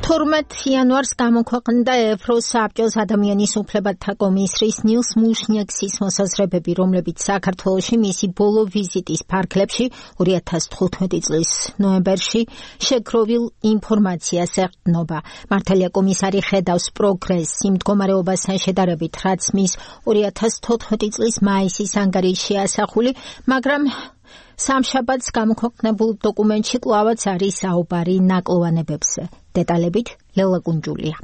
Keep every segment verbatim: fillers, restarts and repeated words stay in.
თორმეტ იანვარს გამოქვეყნდა ევროსაბჭოს ადამიანის უფლებათა კომისრის ნილს მუშნიექსის მოსაზრებები, რომლებიც საქართველოში მისი ბოლო ვიზიტის ფარგლებში ორი ათას თხუთმეტი წლის ნოემბერში შეგროვილ ინფორმაციას ეყრდნობა. მართალია კომისარი ხედავს პროგრესს იმ მდგომარეობასთან შედარებით, რაც მის ორი ათას თოთხმეტი წლის მაისის ანგარიშში ასახული, მაგრამ სამშაბათს გამოქვეყნებულ დოკუმენტში კვლავაც არის საუბარი ნაკლოვანებებზე. დეტალებით ლელა კუნჯულია.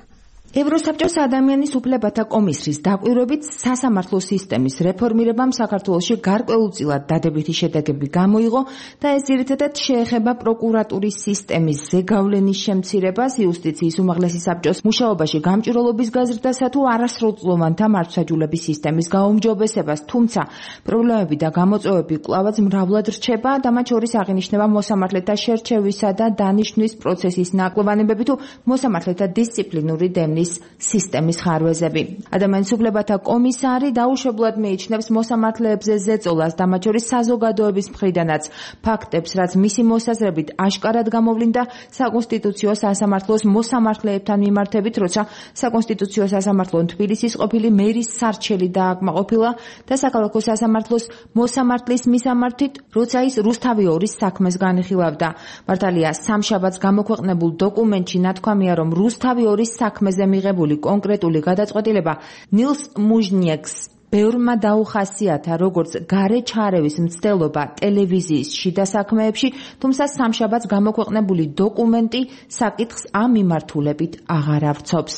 ევროსაბჭოს ადამიანის უფლებათა კომისრის დაკვირვებით სასამართლო სისტემის რეფორმირებამ საქართველოში გარკვეულწილად დადებითი შედეგები გამოიღო და ეს ძირითადად შეეხება პროკურატურის სისტემის ზეგავლენის შემცირებას, იუსტიციის უმაღლესი საბჭოს მუშაობაში გამჭვირვალობის გაზრდასა თუ არასრულწლოვანთა მართლმსაჯულების სისტემის გაუმჯობესებას, თუმცა პრობლემები და გამოწვევები კვლავაც მრავლად რჩება და მათ შორის აღინიშნება მოსამართლეთა შერჩევისა და დანიშვნის პროცესის ნაკლოვანებები თუ მოსამართლეთა დისციპლინური დემნის სისტემის ხარვეზები. ადამიანის უფლებათა კომისარი დაუშვებლად მიიჩნევს მოსამართლეებზე ზეწოლას და მათ შორის საზოგადოების მხრიდანაც ფაქტებს, რაც მისი მოსაზრებით აშკარად გამოვლინდა საკონსტიტუციო სასამართლოს მოსამართლეებთან მიმართებით, როცა საკონსტიტუციო სასამართლომ თბილისის ყოფილი მერის სარჩელი დააკმაყოფილა და საქალაქო სასამართლოს მოსამართლის მისამართით, როცა ის რუსთავი ორის საქმეს განიხილავდა. მართალია, სამშაბათს გამოქვეყნებულ დოკუმენტში ნათქვამია, რომ რუსთავი ორის საქმეზე მიღებული კონკრეტული გადაწყვეტილება ნილს მუშნიექს ბევრმა დაუხასიათა როგორც გარე ჩარევის მცდელობა ტელევიზიის შიდა საქმეებში, თუმცა სამშაბათს გამოქვეყნებული დოკუმენტი საკითხს ამ მიმართულებით აღარ ავრცობს.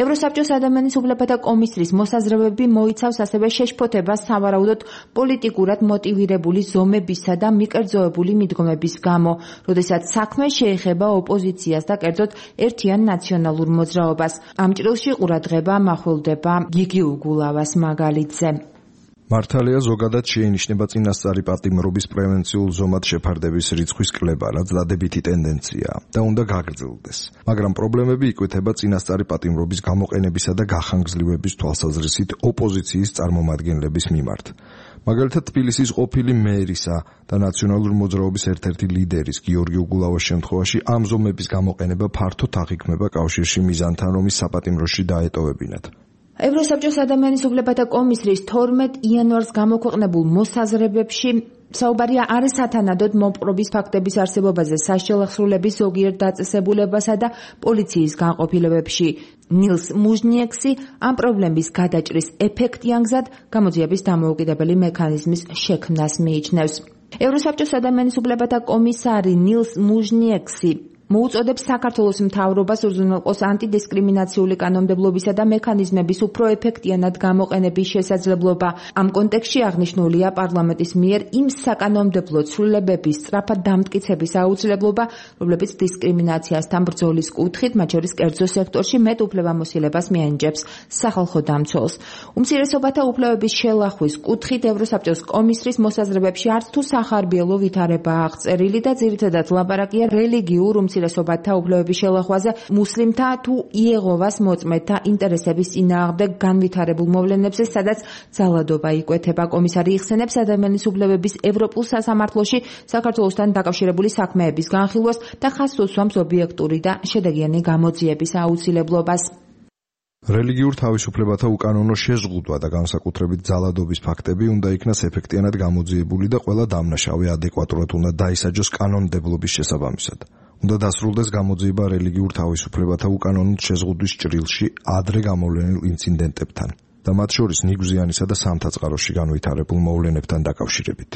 ევროსაბჭოს ადამიანის უფლებათა კომისრის მოსაზრებები მოიცავს ასევე შეშფოთებას სავარაუდოდ პოლიტიკურად მოტივირებული ზომებისა და მიკერძოებული მიდგომების გამო, როდესაც საქმე შეეხება ოპოზიციას და კერძოდ ერთიან ნაციონალურ მოძრაობას. ამ ჭრილში ყურადღება მახვილდება გიგი უგულავას მაგალითზე. მართალია, ზოგადად შეინიშნება წინასწარი პატიმრობის პრევენციულ ზომად შეფარდების რიცხვის კლება, რაც დადებითი ტენდენციაა და უნდა გაგრძელდეს. მაგრამ პრობლემები იკვეთება წინასწარი პატიმრობის გამოყენებისა და გახანგრძლივების თვალსაზრისით ოპოზიციის წარმომადგენლების მიმართ. მაგალითად, თბილისის ყოფილი მერისა და ნაციონალური მოძრაობის ერთ-ერთი ლიდერის გიორგი უგულავას შემთხვევაში ამ ზომების გამოყენება ფართოდ აღიქმება კავშირში მიზანთან, რომ ის საპატიმროში დაეტოვებინათ. ევროსაბჭოს ადამიანის უფლებათა კომისრის თორმეტ იანვარს გამოქვეყნებულ მოსაზრებებში საუბარია არის სათანადოდ მოპყრობის ფაქტების არსებობაზე, საშელახსრულების ზოგიერთ დაწესებულებასა და პოლიციის განყოფილებებში. ნილს მუშნიექსი ამ პრობლემის გადაჭრის ეფექტიან გზად გამოძიების დამოუკიდებელი მექანიზმის შექმნას მიიჩნევს. ევროსაბჭოს ადამიანის უფლებათა კომისარი ნილს მუშნიექსი მოუწოდებს საქართველოს მთავრობას უზრუნველყოს ანტიდისკრიმინაციული კანონმდებლობისა და მექანიზმების უფრო ეფექტიანად გამოყენების შესაძლებლობა. ამ კონტექსტში აღნიშნულია პარლამენტის მიერ იმ საკანონმდებლო ცვლილებების სწრაფად დამტკიცების აუცილებლობა, რომლებიც დისკრიმინაციასთან ბრძოლის კუთხით, მათ შორის კერძო სექტორში მეტ უფლებამოსილებას მიანიჭებს სახალხო დამცველს. უმცირესობათა უფლებების შელახვის კუთხით ევროსაბჭოს კომისრის მოსაზრებებში არც თუ სახარბიელო ვითარებაა აღწერილი და ძირითადად ლაპარაკია რელიგიურ უმცირესობათა უფლებების შელახვაზე მუსლიმთა თუ იეღოვას მოწმეთა ინტერესების წინააღმდეგ განვითარებულ მოვლენებზე, სადაც ძალადობა იკვეთება. კომისარი იხსენებს ადამიანის უფლებების ევროპულ სასამართლოში საქართველოსთან დაკავშირებული საქმეების განხილვას და ხაზს უსვამს ობიექტური და შედეგიანი გამოძიების აუცილებლობას. რელიგიურ თავისუფლებათა უკანონო შეზღუდვა და განსაკუთრებით ძალადობის ფაქტები უნდა იქნას ეფექტიანად გამოძიებული და ყველა დამნაშავე ადეკვატურად უნდა დაისაჯოს კანონმდებლობის შესაბამისად. უნდა დასრულდეს გამოძიება რელიგიურ თავისუფლებათა უკანონოდ შეზღუდვის ჭრილში ადრე გამოვლენილ ინციდენტებთან და მათ შორის ნიგვზიანისა და სამთაწყაროში განვითარებულ მოვლენებთან დაკავშირებით.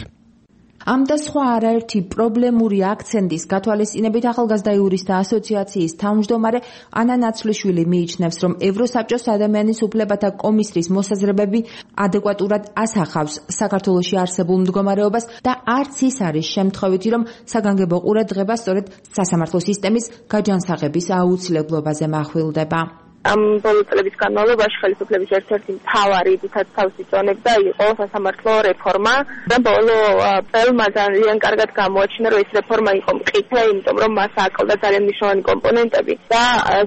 ამ და სხვა არაერთი პრობლემური აქცენტის გათვალისწინებით ახალგაზრდა იურისტთა ასოციაციის თავმჯდომარე ანა ნაცვლიშვილი მიიჩნევს, რომ ევროსაბჭოს ადამიანის უფლებათა კომისრის მოსაზრებები ადეკვატურად ასახავს საქართველოში არსებულ მდგომარეობას და არც ის არის შემთხვევითი, რომ საგანგებო ყურადღება სწორედ სასამართლო სისტემის გაჯანსაღების აუცილებლობაზე mahvilდება. ამ ბოლო წლების განმავლობაში ხელისუფლების ერთ-ერთი მთავარი თითაც თავს იწონებდა იყო სასამართლო რეფორმა და ბოლო წელმა ძალიან კარგად გამოაჩინა, რომ ეს რეფორმა იყო მყიფე, იმიტომ რომ მას აკლდა ძალიან მნიშვნელოვანი კომპონენტები და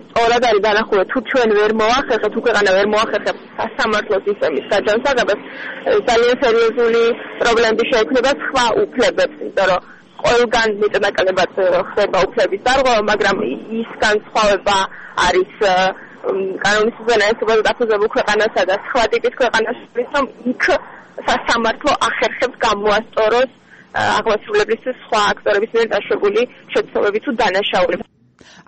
სწორად არის განახურვა, თუ ჩვენ ვერ მოახერხებთ, თუ ქვეყანა ვერ მოახერხებს სასამართლო სისტემის გაჯანსაღებას, ძალიან სერიოზული პრობლემები შეექმნება სხვა უფლებებს, იმიტომ რომ ყველგან მეტნაკლებად ხდება უფლების დარღვევა, მაგრამ ის განსხვავება არის კანონის უზენაესობაზე დაფუძნებულ ქვეყანასა და სხვა ტიპის ქვეყანაში, რომ იქ სასამართლო ახერხებს გამოასწოროს აღმასრულებლის სხვა აქტორების მიერ დაშვებული შეცდომები თუ დანაშაულები.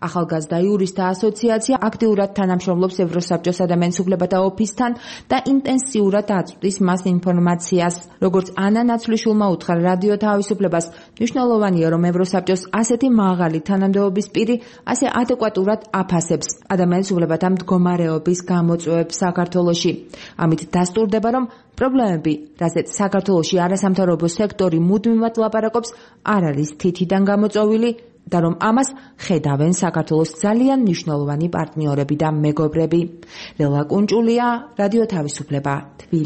ახალგაზრდა იურისტთა ასოციაცია აქტიურად თანამშრომლობს ევროსაბჭოს ადამიანის უფლებათა ოფისთან და ინტენსიურად აწვდის მას ინფორმაციას. როგორც ანა ნაცვლიშვილმა უთხრა რადიო თავისუფლებას, მნიშვნელოვანია, რომ ევროსაბჭოს ასეთი მაღალი თანამდებობის პირი ასე ადეკვატურად აფასებს ადამიანის უფლებათა მდგომარეობის გამოწვევებს საქართველოში. ამით დასტურდება, რომ პრობლემები, რასაც საქართველოში არასამთავრობო სექტორი მუდმივად ლაპარაკობს, არ არის თითიდან გამოწვეული და რომ ამას ხედავენ საქართველოს ძალიან მნიშვნელოვანი პარტნიორები და მეგობრები. ლელა კუნჭულია, რადიო თავისუფლება, თბილისი.